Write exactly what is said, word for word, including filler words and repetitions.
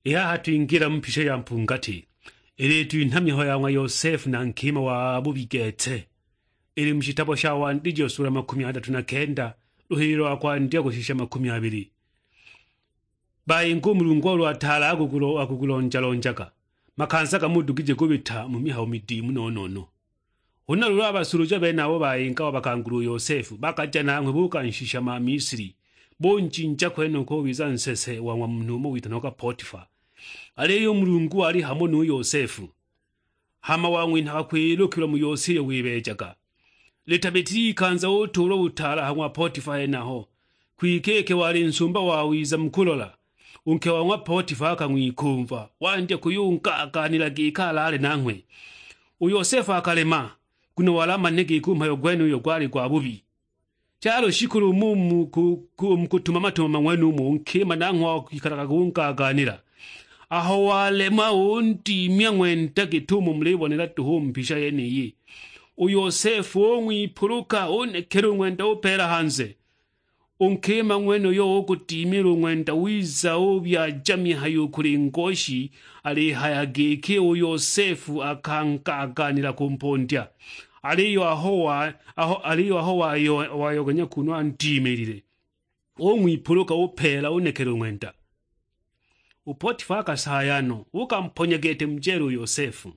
I haha twingila mu mpisha ya mpungati, ilitwinha mihayo ya ng'wa Yosefu na nkima wa bubi gete. Ili mu shitabo sha Wandijo sula makumi adatu na kenda, luhililo lwa kwandya kushisha makumi abili. Bayinga u Mulungu olo ataala akugulonjalonjaga, makanza gamo udugije kubita mu mihayo midimu no-no-no. Huna luulu a basuluja benabo bayinga wabakangula u Yosefu, bakaja nanghwe bukanshisha ma Misili, bunjinja kwenoko ubiza nsese wa ng'wa munhu umo witanagwa Potifa. Aliyo u Mulungu wali hamo nu Yosefu, hama wang'winhaga kwilukilwa mu yose iyo wibeejaga. Litabitile ikanza utuulwa butaala ha ng'wa Potifa henaho, kwike iki wali nsumba wawiza mu kulola, u nke wa ng'wa Potifa akang'wikumva, wandya kuyungaagaanila giki alaale nanghwe. U Yosefu akalema, nguno wali amanile giki u mhayo gwenuyo gwali gwa bubi. Chalo shikulu mu mu ku- ku- mu kutumama-tumama ng'wenumo, u nkima nanghwe wakwikalaga gungaagaanila. Aho walema, undimya ng'wenda git'umo mulibonela duhu u mu mpisha yeniyi. U Yosefu ung'wipuluka, unekela u ng'wenda upeela hanze. U nkima ng'wenuyo ugudimila u ng'wenda wiza ubyaja mihayo u kuli ngoshi, alihaya giki u Yosefu akangaagaanila kumpondya. Aliyo aho wa- aho- aliyo aho wayo- wayoganya kunu andimilile, ung'wipuluka upeela unekela u ng'wenda. U Potifa akasaya no, ukamponya gete mu jela u Yosefu.